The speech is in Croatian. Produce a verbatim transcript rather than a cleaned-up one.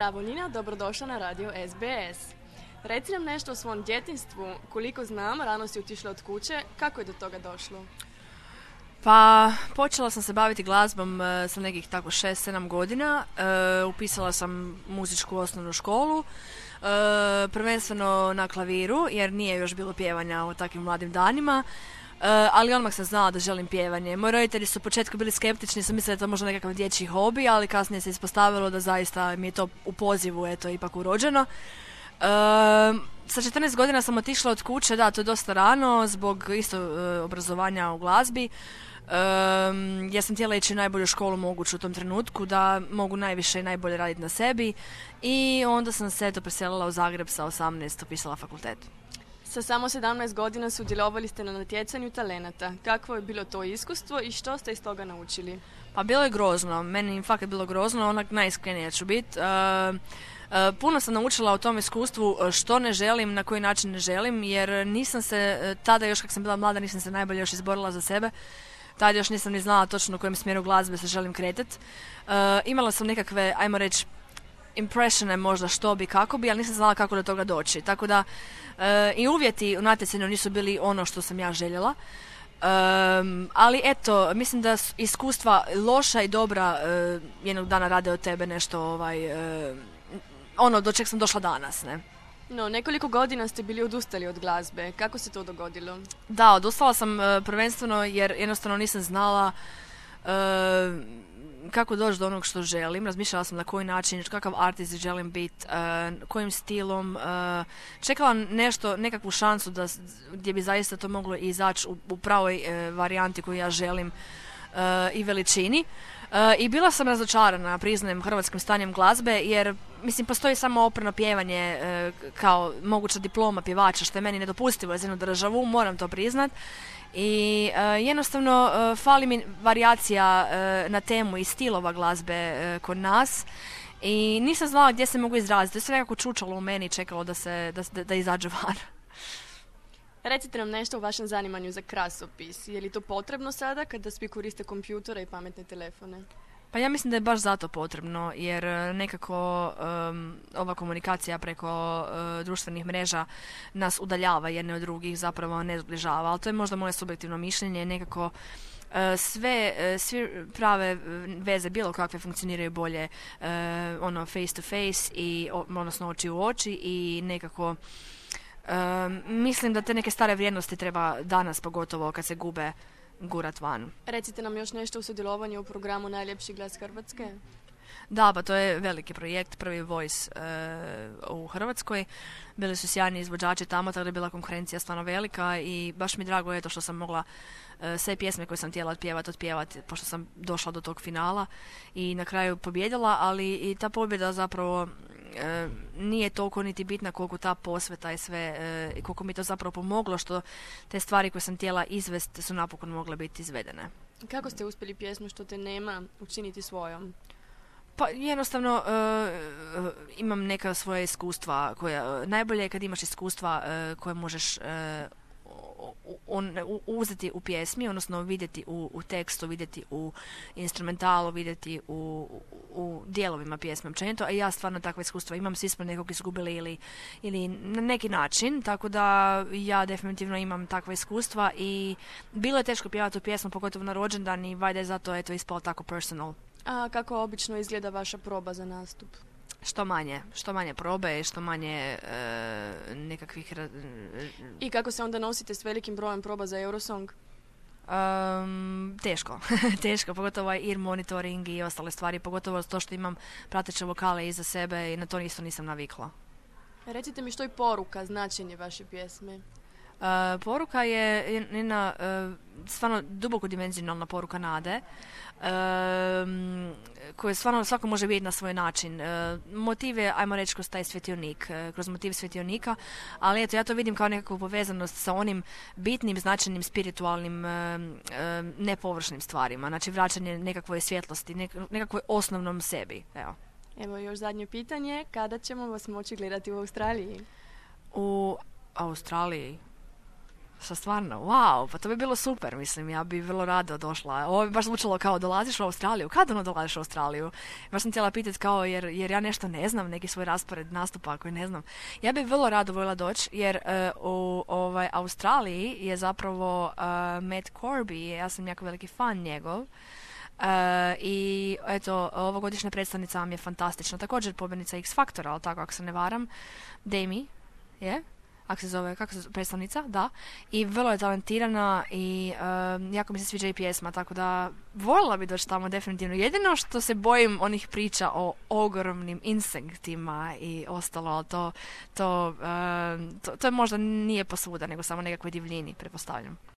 Bravo Nina, dobrodošla na radio S B S. Reci nam nešto o svom djetinjstvu. Koliko znam, rano si otišla od kuće. Kako je do toga došlo? Pa, počela sam se baviti glazbom e, sa nekih tako šest sedam godina. E, upisala sam muzičku osnovnu školu, e, prvenstveno na klaviru, jer nije još bilo pjevanja u takvim mladim danima. Uh, ali odmah sam znala da želim pjevanje. Moji roditelji su u početku bili skeptični, su mislili da je to možda nekakav dječji hobi, ali kasnije se ispostavilo da zaista mi je to u pozivu, eto, ipak urođeno. Uh, sa četrnaest godina sam otišla od kuće, da, to je dosta rano, zbog isto uh, obrazovanja u glazbi. Uh, ja sam htjela ići u najbolju školu moguću u tom trenutku, da mogu najviše i najbolje raditi na sebi. I onda sam se eto preselila u Zagreb sa osamnaest, upisala fakultet. Sa samo sedamnaest godina sudjelovali ste na natjecanju talenata. Kakvo je bilo to iskustvo i što ste iz toga naučili? Pa bilo je grozno, meni fakat bilo grozno, onak najiskrenija ću biti. Uh, uh, puno sam naučila o tom iskustvu što ne želim, na koji način ne želim, jer nisam se, uh, tada još kad sam bila mlada, nisam se najbolje još izborila za sebe. Tada još nisam ni znala točno u kojem smjeru glazbe se želim kretati. Uh, imala sam nekakve, ajmo reći, impressione možda što bi, kako bi, ali nisam znala kako do toga doći. Tako da e, i uvjeti u natjecanju nisu bili ono što sam ja željela. E, ali eto, mislim da iskustva loša i dobra e, jednog dana rade od tebe nešto ovaj, e, ono do čeg sam došla danas, ne? No, nekoliko godina ste bili odustali od glazbe. Kako se to dogodilo? Da, odustala sam e, prvenstveno jer jednostavno nisam znala e, kako doći do onog što želim. Razmišljala sam na koji način, kakav artist želim biti, uh, kojim stilom. Uh, čekala nešto, nekakvu šansu da, gdje bi zaista to moglo izaći u, u pravoj uh, varijanti koju ja želim uh, i veličini. Uh, I bila sam razočarana, priznajem, hrvatskim stanjem glazbe, jer mislim postoji samo operno pjevanje uh, kao moguća diploma pjevača, što je meni nedopustivo za jednu državu, moram to priznat. I uh, jednostavno uh, fali mi varijacija uh, na temu i stilova glazbe uh, kod nas i nisam znala gdje se mogu izraziti. To je sve nekako čučalo u meni i čekalo da, se, da, da, da izađe van. Recite nam nešto o vašem zanimanju za krasopis. Je li to potrebno sada kada svi koriste kompjutore i pametne telefone? Pa ja mislim da je baš zato potrebno, jer nekako um, ova komunikacija preko uh, društvenih mreža nas udaljava jedne od drugih, zapravo ne zbližava, ali to je možda moje subjektivno mišljenje, nekako uh, sve, uh, sve prave veze bilo kakve funkcioniraju bolje uh, ono face to face i odnosno oči u oči i nekako um, mislim da te neke stare vrijednosti treba danas, pogotovo kad se gube, gurat van. Recite nam još nešto o sudjelovanju u programu Najljepši glas Hrvatske. Da, pa to je veliki projekt, prvi Voice uh, u Hrvatskoj. Bili su sjajni izvođači tamo, tako da je bila konkurencija stvarno velika i baš mi drago je to što sam mogla uh, sve pjesme koje sam htjela otpjevati, otpjevati, pošto sam došla do tog finala i na kraju pobjedila, ali i ta pobjeda zapravo uh, nije toliko niti bitna koliko ta posveta i sve, uh, i koliko mi to zapravo pomoglo što te stvari koje sam htjela izvesti su napokon mogle biti izvedene. Kako ste uspjeli pjesmu Što te nema učiniti svojom? Pa jednostavno uh, imam neka svoja iskustva koja, najbolje je kad imaš iskustva uh, koje možeš uh, on, u, uzeti u pjesmi, odnosno vidjeti u, u tekstu, vidjeti u instrumentalu, vidjeti u, u, u dijelovima pjesme općenito, a ja stvarno takva iskustva imam, svi smo nekog izgubili ili, ili na neki način, tako da ja definitivno imam takva iskustva i bilo je teško pjevati tu pjesmu, pogotovo na rođendan i valjda je zato eto ispalo tako personal. A kako obično izgleda vaša proba za nastup? Što manje, što manje probe, što manje e, nekakvih... Ra- I kako se onda nosite s velikim brojem proba za Eurosong? Um, teško, teško, pogotovo ovaj ear monitoring i ostale stvari, pogotovo to što imam prateće vokale iza sebe i na to isto nisam navikla. Recite mi što je poruka, značenje vaše pjesme? Uh, poruka je jedna uh, stvarno duboko dimenzionalna poruka nade uh, koju stvarno svako može vidjeti na svoj način. Uh, motiv je, ajmo reći, kroz taj svjetionik, uh, kroz motiv svjetionika, ali eto, ja to vidim kao nekakvu povezanost sa onim bitnim, značajnim, spiritualnim, uh, uh, nepovršnim stvarima. Znači vraćanje nekakvoj svjetlosti, nek- nekakvoj osnovnom sebi. Evo. Evo još zadnje pitanje, kada ćemo vas moći gledati u Australiji? U Australiji? Što stvarno, wow, pa to bi bilo super, mislim, ja bi vrlo rado došla. Ovo bi baš zvučalo kao dolaziš u Australiju, kad ono dolaziš u Australiju? Baš sam htjela pitati kao, jer, jer ja nešto ne znam, neki svoj raspored nastupa koji ne znam. Ja bi vrlo rado voljela doći, jer uh, u ovaj, Australiji je zapravo uh, Matt Corby, ja sam jako veliki fan njegov. Uh, i eto, ovogodišnja predstavnica vam je fantastična. Također pobjednica X Faktora, ali tako ako se ne varam, Demi, je? Yeah? Ako se zove, kako se zove, predstavnica, da. I vrlo je talentirana i um, jako mi se sviđa i pjesma, tako da voljela bi doći tamo definitivno. Jedino što se bojim onih priča o ogromnim insektima i ostalo, ali to, to, um, to, to je možda nije posvuda, nego samo nekakvoj divljini, pretpostavljam.